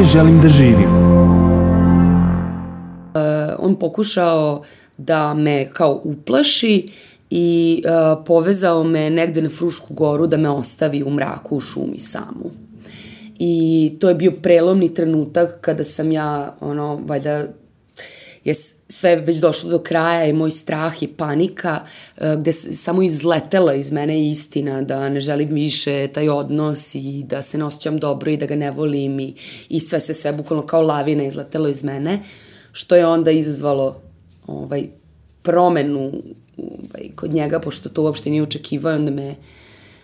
dalje želim da živim. On pokušao da me kao uplaši i povezao me negde na Frušku goru da me ostavi u mraku u šumi samu. I to je bio prelomni trenutak kada sam ja, valjda je sve već došlo do kraja i moj strah i panika, gde samo izletela iz mene istina da ne želim više taj odnos i da se ne osjećam dobro i da ga ne volim i sve bukvalno kao lavina izletelo iz mene, što je onda izazvalo promenu kod njega, pošto to uopšte nije očekivao, onda me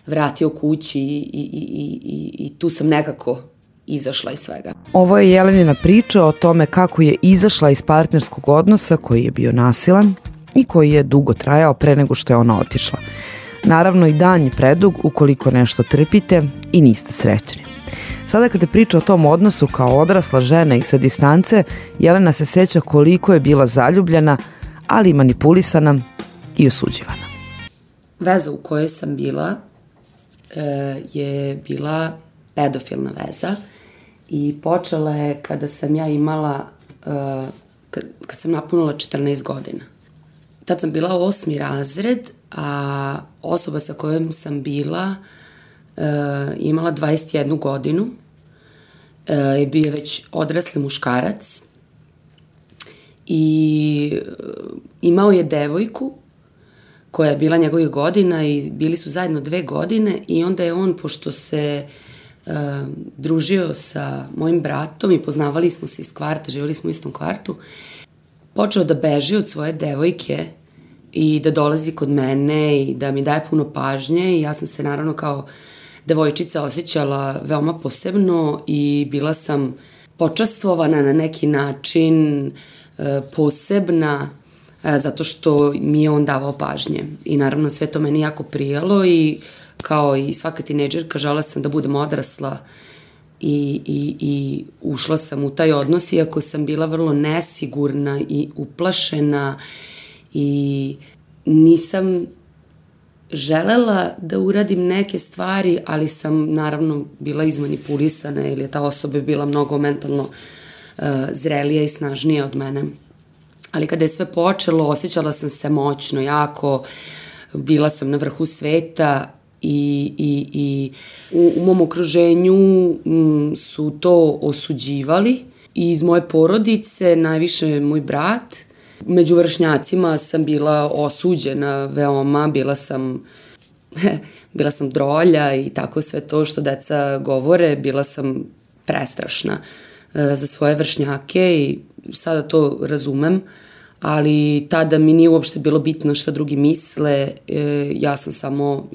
vratio kući i tu sam nekako izašla iz svega. Ovo je Jelenina priča o tome kako je izašla iz partnerskog odnosa koji je bio nasilan i koji je dugo trajao pre nego što je ona otišla. Naravno i dan je predug ukoliko nešto trpite i niste srećni. Sada kada priča o tom odnosu kao odrasla žena i sa distance, Jelena se seća koliko je bila zaljubljena, ali i manipulisana i osuđivana. Veza u kojoj sam bila je bila pedofilna veza i počela je kada sam ja imala, kad sam napunila 14 godina. Tad sam bila 8. razred, a osoba sa kojom sam bila imala 21 godinu, je bio već odrasli muškarac i imao je devojku koja je bila njegovih godina i bili su zajedno 2 godine i onda je on, pošto se družio sa mojim bratom i poznavali smo se iz kvarta, živjeli smo u istom kvartu, počeo da beži od svoje devojke i da dolazi kod mene i da mi daje puno pažnje i ja sam se naravno kao devojčica osjećala veoma posebno i bila sam počastvovana na neki način, posebna, zato što mi je on davao pažnje. I naravno sve to meni jako prijelo i kao i svaka tinejdžerka želela sam da budem odrasla i ušla sam u taj odnos, iako sam bila vrlo nesigurna i uplašena i nisam želela da uradim neke stvari, ali sam naravno bila izmanipulisana ili je ta osoba bila mnogo mentalno zrelija i snažnija od mene. Ali kada je sve počelo, osjećala sam se moćno, jako, bila sam na vrhu sveta i u mom okruženju su to osuđivali. I iz moje porodice, najviše moj brat. Među vršnjacima sam bila osuđena veoma, bila sam drolja i tako sve to što deca govore, bila sam prestrašna za svoje vršnjake i sada to razumem, ali tada mi nije uopšte bilo bitno šta drugi misle, ja sam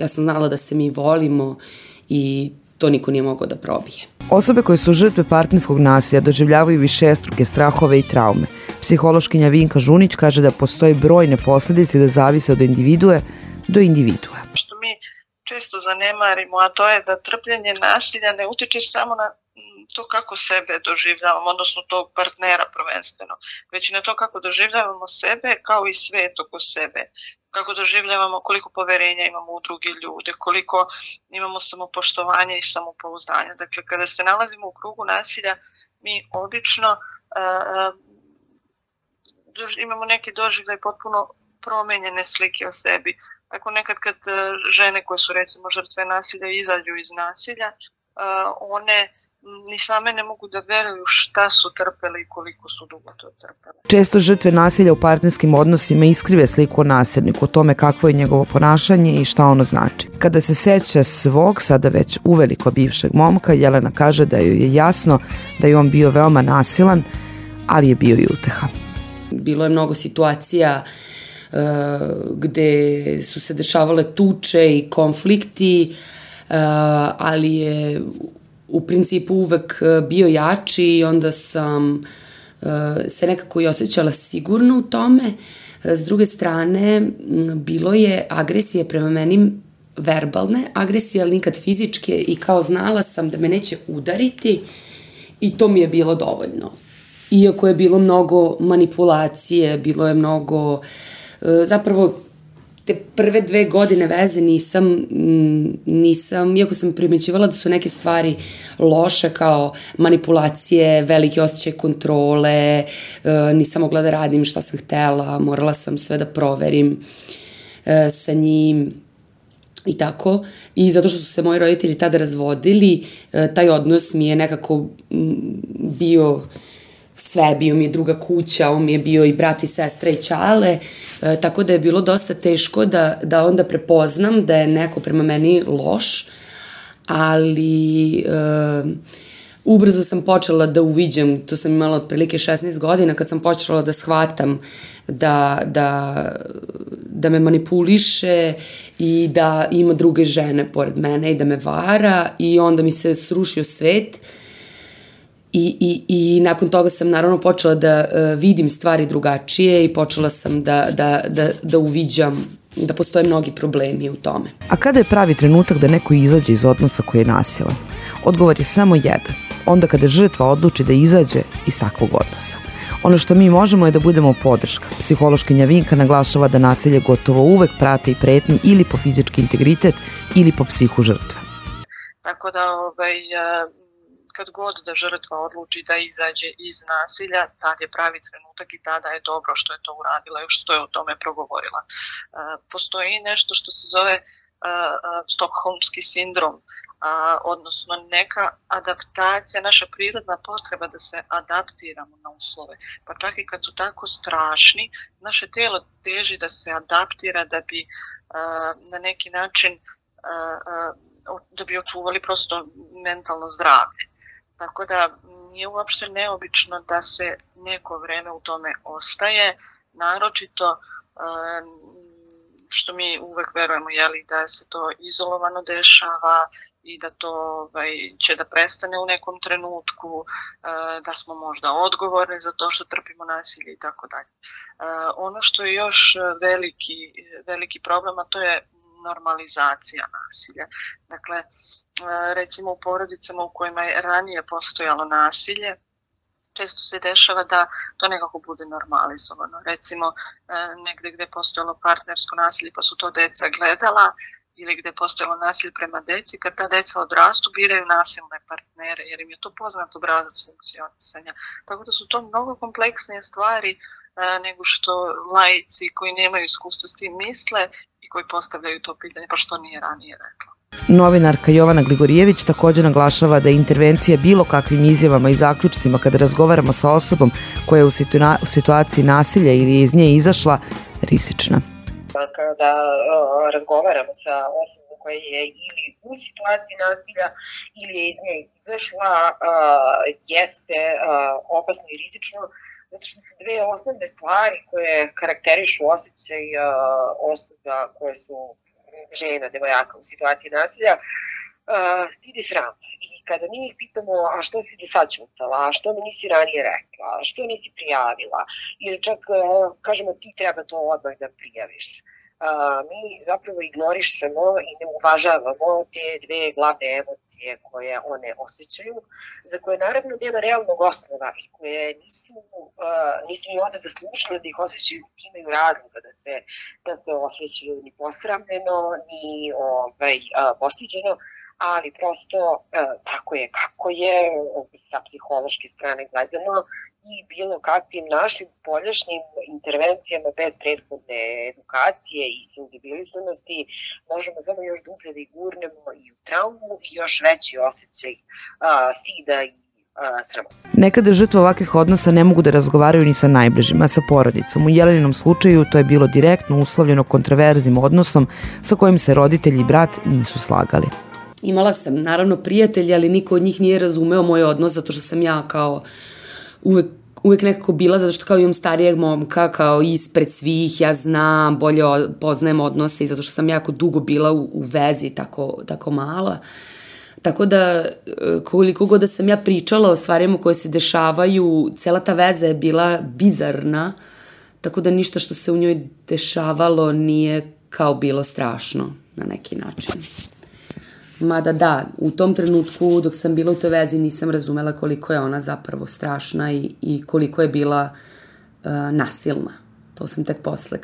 znala da se mi volimo i to niko nije mogao da probije. Osobe koje su žrtve partnerskog nasilja doživljavaju višestruke strahove i traume. Psihološkinja Vinka Žunić kaže da postoje brojne posledice da zavise od individue do individue. Što mi često zanemarimo, a to je da trpljenje nasilja ne utiče samo na to kako sebe doživljavamo, odnosno tog partnera prvenstveno, već i na to kako doživljavamo sebe kao i svet oko sebe, kako doživljavamo, koliko poverenja imamo u drugi ljude, koliko imamo samopoštovanja i samopouzdanja. Dakle, kada se nalazimo u krugu nasilja, mi obično imamo neki doživljaj potpuno promenjene slike o sebi. Tako nekad kad žene koje su recimo žrtve nasilja izađu iz nasilja, one ni same ne mogu da veruju šta su trpele i koliko su dugo to trpele. Često žrtve nasilja u partnerskim odnosima iskrive sliku o nasilniku, o tome kakvo je njegovo ponašanje i šta ono znači. Kada se seća svog, sada već uveliko bivšeg momka, Jelena kaže da joj je jasno da je on bio veoma nasilan, ali je bio i uteha. Bilo je mnogo situacija gde su se dešavale tuče i konflikti, ali je u principu uvek bio jači i onda sam se nekako i osjećala sigurno u tome. S druge strane, bilo je agresije prema meni, verbalne agresije, ali nikad fizičke i kao znala sam da me neće udariti i to mi je bilo dovoljno. Iako je bilo mnogo manipulacije, bilo je mnogo, zapravo te prve 2 godine veze nisam, iako sam primećivala da su neke stvari loše kao manipulacije, velike osjećaj kontrole, nisam mogla da radim šta sam htela, morala sam sve da proverim sa njim i tako. I zato što su se moji roditelji tada razvodili, taj odnos mi je nekako bio sve, bio mi je druga kuća, on mi je bio i brat i sestra i ćale, tako da je bilo dosta teško da onda prepoznam da je neko prema meni loš, ali ubrzo sam počela da uviđam, to sam imala otprilike 16 godina, kad sam počela da shvatam da me manipuliše i da ima druge žene pored mene i da me vara, i onda mi se srušio svet. I nakon toga sam naravno počela da vidim stvari drugačije i počela sam da uviđam da postoje mnogi problemi u tome. A kada je pravi trenutak da neko izađe iz odnosa koji je nasilan? Odgovor je samo jedan. Onda kada žrtva odluči da izađe iz takvog odnosa. Ono što mi možemo je da budemo podrška. Psihološkinja Vinka naglašava da nasilje gotovo uvek prate i pretnje ili po fizički integritet ili po psihu žrtve. Tako da kad god da žrtva odluči da izađe iz nasilja, tad je pravi trenutak i tada je dobro što je to uradila i što je o tome progovorila. Postoji nešto što se zove stokholmski sindrom, odnosno neka adaptacija, naša prirodna potreba da se adaptiramo na uslove. Pa čak i kad su tako strašni, naše tijelo teži da se adaptira da bi na neki način da bi očuvali prosto mentalno zdravlje. Tako da nije uopšte neobično da se neko vreme u tome ostaje, naročito što mi uvek verujemo da se to izolovano dešava i da to će da prestane u nekom trenutku, da smo možda odgovorni za to što trpimo nasilje i tako dalje. Ono što je još veliki problem, a to je normalizacija nasilja. Dakle, recimo u porodicama u kojima je ranije postojalo nasilje, često se dešava da to nekako bude normalizovano. Recimo, negde gde je postojalo partnersko nasilje pa su to deca gledala, ili gde je postojalo nasilje prema deci, kad ta deca odrastu biraju nasilne partnere, jer im je to poznat obrazac funkcionisanja. Tako da su to mnogo kompleksnije stvari nego što laici koji nemaju iskustva s tim misle i koji postavljaju to pitanje, pa što nije ranije rekla. Novinarka Jovana Gligorijević također naglašava da je intervencija bilo kakvim izjavama i zaključcima kada razgovaramo sa osobom koja je u situaciji nasilja ili je iz nje izašla rizična. Kada razgovaramo sa osobom koja je ili u situaciji nasilja ili je iz nje izašla, jeste opasno i rizično, zato što su dve osnovne stvari koje karakterišu osjećaj osoba koje su žena, devojaka u situaciji nasilja, stid i sram. I kada mi ih pitamo, a što si do sad ćutala, a što mi nisi ranije rekla, a što nisi prijavila, ili čak kažemo ti treba to odmah da prijaviš. Mi zapravo ignorišemo i ne uvažavamo te dve glavne emocije koje one osjećaju, za koje naravno nema realnog osnova i koje nisu ni onda zaslužile da ih osjećaju, imaju razloga da se osjećaju ni posramljeno, ni postiđeno, ali prosto tako je kako je sa psihološke strane gledano i bilo kakvim našim spoljašnjim intervencijama bez prethodne edukacije i senzibilisanosti možemo samo još dublje da ih gurnemo i u traumu i još veći osjećaj stida i srama. Nekada žrtve ovakvih odnosa ne mogu da razgovaraju ni sa najbližima, sa porodicom. U Jeleninom slučaju to je bilo direktno uslovljeno kontroverznim odnosom sa kojim se roditelji i brat nisu slagali. Imala sam naravno prijatelja, ali niko od njih nije razumeo moj odnos, zato što sam ja kao uvek nekako bila, zato što kao imam starijeg momka, kao ispred svih, ja znam, bolje poznajem odnose i zato što sam jako dugo bila u vezi, tako mala. Tako da, koliko god da sam ja pričala o stvarima koje se dešavaju, cela ta veza je bila bizarna, tako da ništa što se u njoj dešavalo nije kao bilo strašno na neki način. Mada da, u tom trenutku dok sam bila u toj vezi nisam razumela koliko je ona zapravo strašna i koliko je bila nasilna. To sam tek posle,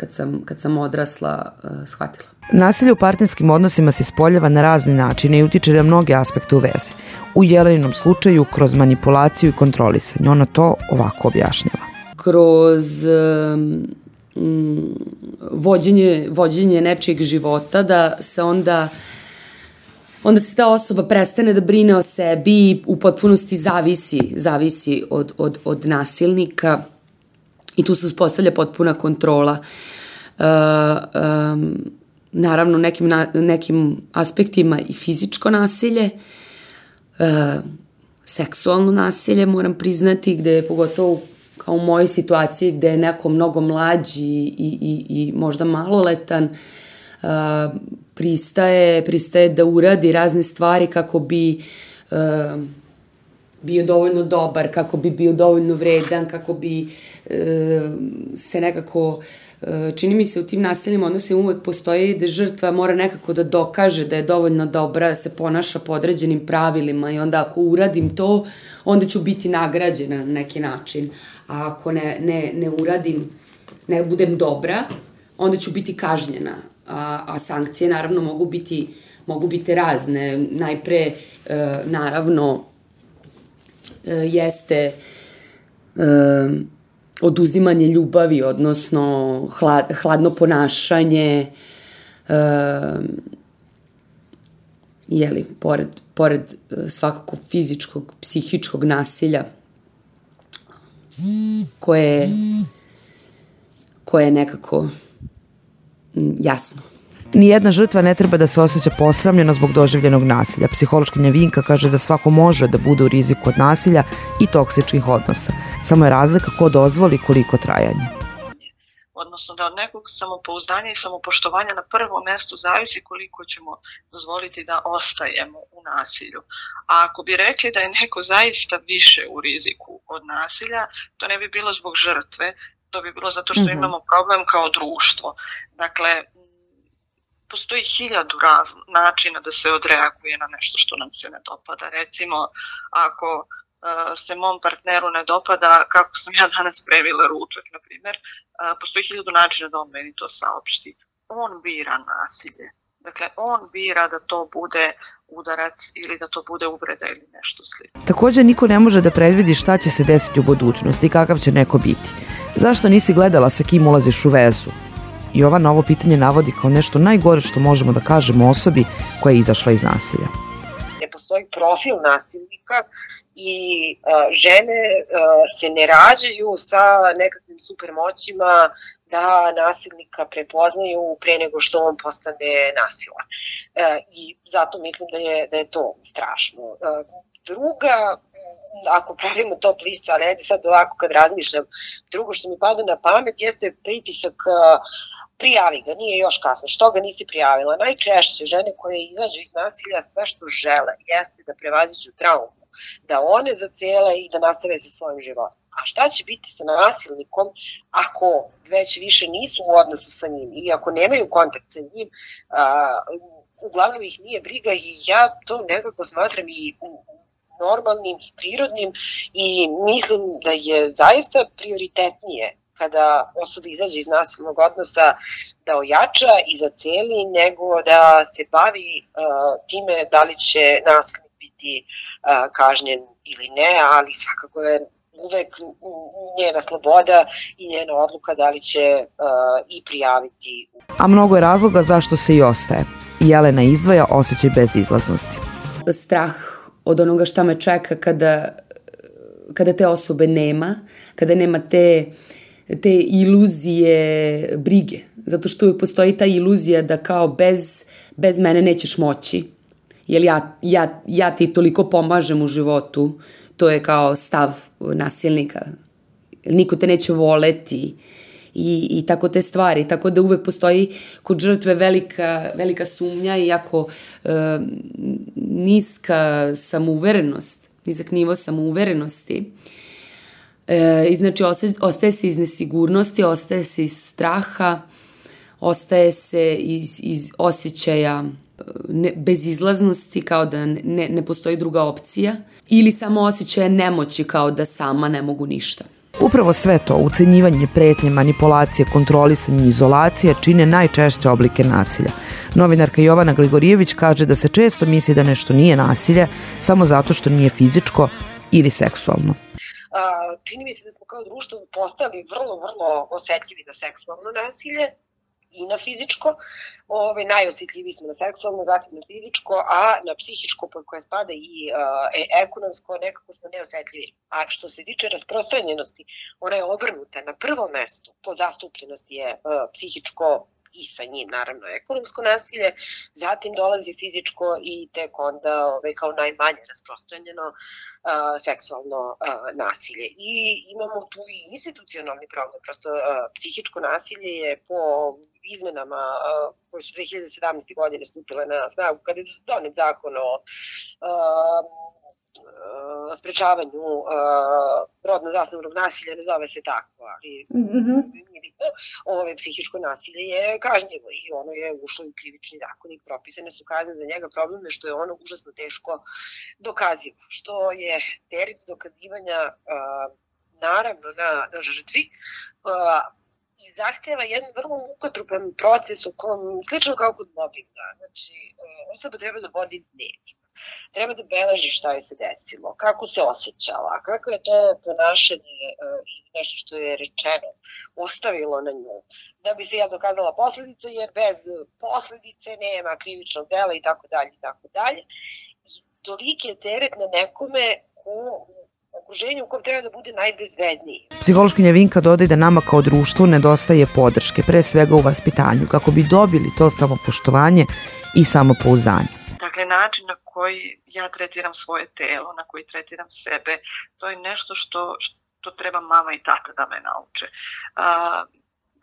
kad sam odrasla, shvatila. Nasilje u partnerskim odnosima se ispoljava na razne načine i utiče na mnoge aspekte u vezi. U Jeleninom slučaju kroz manipulaciju i kontrolisanje. Ona to ovako objašnjava. Kroz vođenje nečijeg života, da se onda se ta osoba prestane da brine o sebi i u potpunosti zavisi od nasilnika i tu se uspostavlja potpuna kontrola. Naravno, nekim aspektima i fizičko nasilje, seksualno nasilje, moram priznati, gde je pogotovo kao u mojoj situaciji gde je neko mnogo mlađi i možda maloletan, pristaje da uradi razne stvari kako bi bio dovoljno dobar, kako bi bio dovoljno vredan, kako bi se nekako, čini mi se u tim nasilnim odnosima uvek postoji da žrtva mora nekako da dokaže da je dovoljno dobra, da se ponaša po određenim pravilima i onda ako uradim to, onda ću biti nagrađena na neki način. A ako ne uradim, ne budem dobra, onda ću biti kažnjena. A sankcije naravno mogu biti razne. Najpre, naravno, jeste oduzimanje ljubavi, odnosno hladno ponašanje, pored svakako fizičkog, psihičkog nasilja, koje je nekako jasno. Nijedna žrtva ne treba da se osjeća posramljeno zbog doživljenog nasilja. Psihološkinja Vinka kaže da svako može da bude u riziku od nasilja i toksičnih odnosa. Samo je razlika ko dozvoli koliko trajanje. Odnosno da od nekog samopouzdanja i samopoštovanja na prvom mestu zavisi koliko ćemo dozvoliti da ostajemo u nasilju. A ako bi rekli da je neko zaista više u riziku od nasilja, to ne bi bilo zbog žrtve, to bi bilo zato što imamo problem kao društvo. Dakle, postoji 1000 načina da se odreaguje na nešto što nam se ne dopada. Recimo, ako se mom partneru ne dopada kako sam ja danas previla ručak, na primjer, postoji 1000 načina da on meni to saopšti. On bira nasilje. Dakle, on bira da to bude udarac ili da to bude uvreda ili nešto slično. Također niko ne može da predvidi šta će se desiti u budućnosti i kakav će neko biti. Zašto nisi gledala sa kim ulaziš u vezu? Jovana ovo pitanje navodi kao nešto najgore što možemo da kažemo osobi koja je izašla iz nasilja. Ne postoji profil nasilnika i žene se ne rađaju sa nekakvim supermoćima da nasilnika prepoznaju pre nego što on postane nasilan. I zato mislim da je to strašno. Druga, ako pravimo top listu, ali ajde sad ovako kad razmišljam, drugo što mi pada na pamet jeste pritisak prijavi ga, nije još kasno, što ga nisi prijavila. Najčešće žene koje izađu iz nasilja sve što žele jeste da prevaziđu traumu, da one zacele i da nastave sa svojim životom. A šta će biti sa nasilnikom ako već više nisu u odnosu sa njim i ako nemaju kontakt sa njim, uglavnom ih nije briga i ja to nekako smatram i normalnim i prirodnim i mislim da je zaista prioritetnije kada osoba izađe iz nasilnog odnosa da ojača i zaceli nego da se bavi time da li će nasilnik biti kažnjen ili ne, ali svakako je uvek njena sloboda i njena odluka da li će i prijaviti. A mnogo je razloga zašto se i ostaje. Jelena izdvaja osjećaj bezizlaznosti. Strah od onoga šta me čeka kada te osobe nema, kada nema te iluzije brige. Zato što uvijek postoji ta iluzija da kao bez mene nećeš moći. Jer ja ti toliko pomažem u životu. To je kao stav nasilnika. Niko te neće voleti i tako te stvari. Tako da uvek postoji kod žrtve velika sumnja i jako nizak nivo samouverenosti. I znači ostaje se iz nesigurnosti, ostaje se iz straha, ostaje se iz osjećaja bezizlaznosti, kao da ne postoji druga opcija, ili samo osjećaja nemoći, kao da sama ne mogu ništa. Upravo sve to, ucenjivanje, pretnje, manipulacije, kontrolisanje i izolacija čine najčešće oblike nasilja. Novinarka Jovana Gligorijević kaže da se često misli da nešto nije nasilje samo zato što nije fizičko ili seksualno. Čini mi se da smo kao društvo postali vrlo osetljivi na seksualno nasilje i na fizičko. Najosjetljiviji smo na seksualno, zatim na fizičko, a na psihičko, pod koje spada i ekonomsko, nekako smo neosetljivi. A što se tiče rasprostranjenosti, ona je obrnuta. Na prvom mestu po zastupljenosti je psihičko i sa njim naravno ekonomsko nasilje, zatim dolazi fizičko i tek onda kao najmanje rasprostranjeno seksualno nasilje. I imamo tu i institucionalni problem, prosto psihičko nasilje je po izmenama koje su 2017. godine stupile na snagu, kada je donet zakon o sprečavanju rodno zasnovanog nasilja, ne zove se tako, ali nije bitno. Psihičko nasilje je kažnjivo i ono je ušlo u krivični zakonik, propisane su kazne za njega. Problem je što je ono užasno teško dokazivo, što je teret dokazivanja naravno na žrtvi i zahteva jedan vrlo mukotrupan proces u kom, slično kao kod mobinga, znači osoba treba da vodi dnevnik. Treba da beleži šta je se desilo, kako se osjećala, kako je to ponašanje i nešto što je rečeno ostavilo na nju. Da bi se dokazala posledica, jer bez posledice nema krivičnog dela i tako dalje i tako dalje. I toliki je teret na nekome u okruženju u kom treba da bude najbezbedniji. Psihološkinja Vinka dodaje da nama kao društvu nedostaje podrške, pre svega u vaspitanju, kako bi dobili to samopoštovanje i samopouzdanje. Dakle, način na koji ja tretiram svoje telo, na koji tretiram sebe, to je nešto što treba mama i tata da me nauče.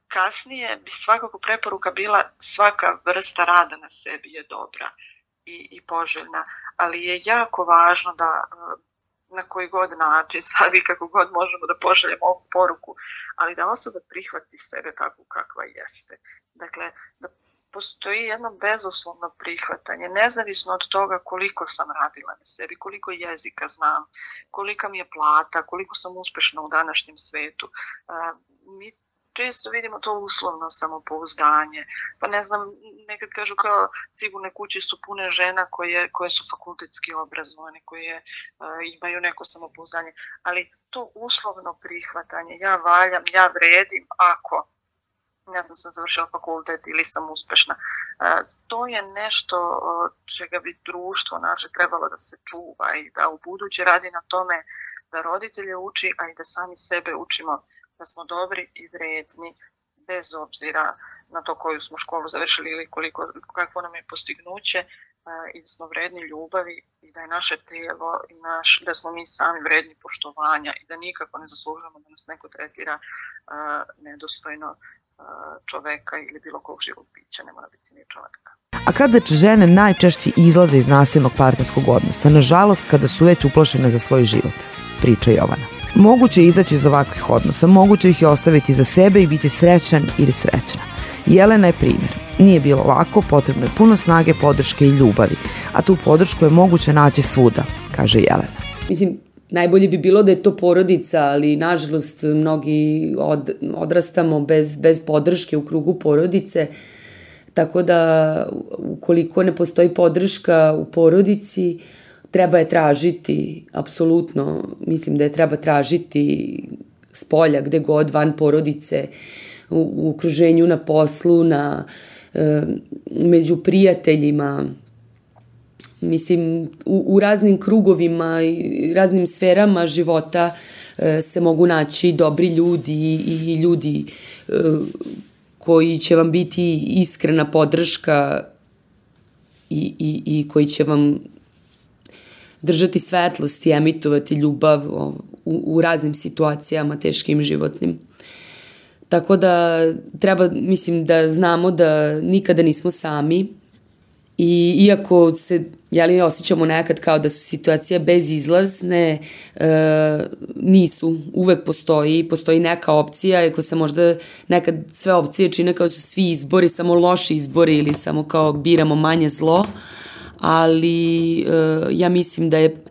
Kasnije bi svakako preporuka bila svaka vrsta rada na sebi je dobra i poželjna, ali je jako važno da na koji god način, sad i kako god možemo da pošaljemo ovu poruku, ali da osoba prihvati sebe takvu kakva jeste. Dakle, da postoji jedno bezuslovno prihvatanje, nezavisno od toga koliko sam radila na sebi, koliko jezika znam, kolika mi je plata, koliko sam uspešna u današnjem svetu. Mi često vidimo to uslovno samopouzdanje. Pa ne znam, nekad kažu kao sigurne kuće su pune žena koje su fakultetski obrazovane, koje imaju neko samopouzdanje. Ali to uslovno prihvatanje, ja valjam, ja vredim ako ne znam, sam završila fakultet ili sam uspešna. To je nešto čega bi društvo naše trebalo da se čuva i da u buduće radi na tome da roditelje uči, a i da sami sebe učimo da smo dobri i vredni bez obzira na to koju smo školu završili ili kakvo nam je postignuće i da smo vredni ljubavi i da je naše telo i da smo mi sami vredni poštovanja i da nikako ne zaslužujemo da nas neko tretira nedostojno čoveka ili bilo kog živog bića, ne mora biti ni čoveka. A kada žene najčešće izlaze iz nasilnog partnerskog odnosa, nažalost kada su već uplašene za svoj život, priča Jovana. Moguće je izaći iz ovakvih odnosa, moguće ih je ostaviti za sebe i biti srećan ili srećna. Jelena je primjer. Nije bilo lako, potrebno je puno snage, podrške i ljubavi, a tu podršku je moguće naći svuda, kaže Jelena. Mislim, najbolje bi bilo da je to porodica, ali nažalost mnogi odrastamo bez podrške u krugu porodice, tako da ukoliko ne postoji podrška u porodici, treba je tražiti, apsolutno, mislim da je treba tražiti spolja, gde god, van porodice, u okruženju, na poslu, među prijateljima, mislim, u raznim krugovima i raznim sferama života se mogu naći dobri ljudi i ljudi koji će vam biti iskrena podrška i koji će vam držati svetlost i emitovati ljubav u raznim situacijama teškim životnim. Tako da treba, mislim, da znamo da nikada nismo sami i iako se osjećamo nekad kao da su situacije bezizlazne, nisu, uvek postoji neka opcija, iako se možda nekad sve opcije čine kao su svi izbori, samo loši izbori ili samo kao biramo manje zlo, ali ja mislim da je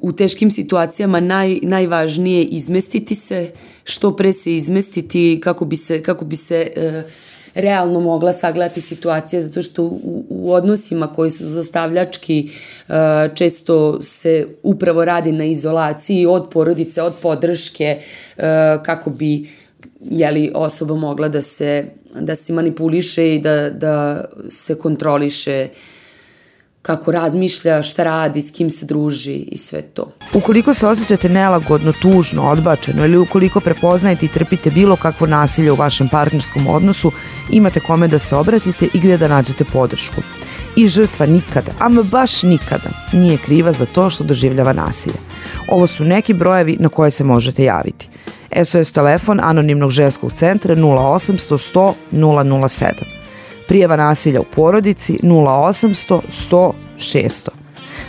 u teškim situacijama najvažnije izmestiti se, što pre se izmestiti kako bi se realno mogla sagledati situacija, zato što u odnosima koji su zlostavljački često se upravo radi na izolaciji od porodice, od podrške, kako bi osoba mogla da se manipuliše i da se kontroliše kako razmišlja, šta radi, s kim se druži i sve to. Ukoliko se osjećate nelagodno, tužno, odbačeno ili ukoliko prepoznajete i trpite bilo kakvo nasilje u vašem partnerskom odnosu, imate kome da se obratite i gde da nađete podršku. I žrtva nikada, ama baš nikada, nije kriva za to što doživljava nasilje. Ovo su neki brojevi na koje se možete javiti. SOS telefon Anonimnog ženskog centra 0800 100 007. Prijava nasilja u porodici 0800 100 600.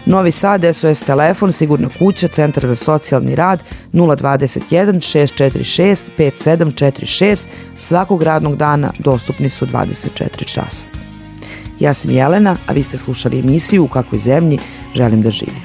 Novi Sad SOS telefon Sigurna kuća Centar za socijalni rad 021 646 5746. Svakog radnog dana dostupni su 24 časa. Ja sam Jelena, a vi ste slušali emisiju U kakvoj zemlji želim da živim.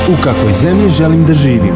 U kakvoj zemlji želim da živim.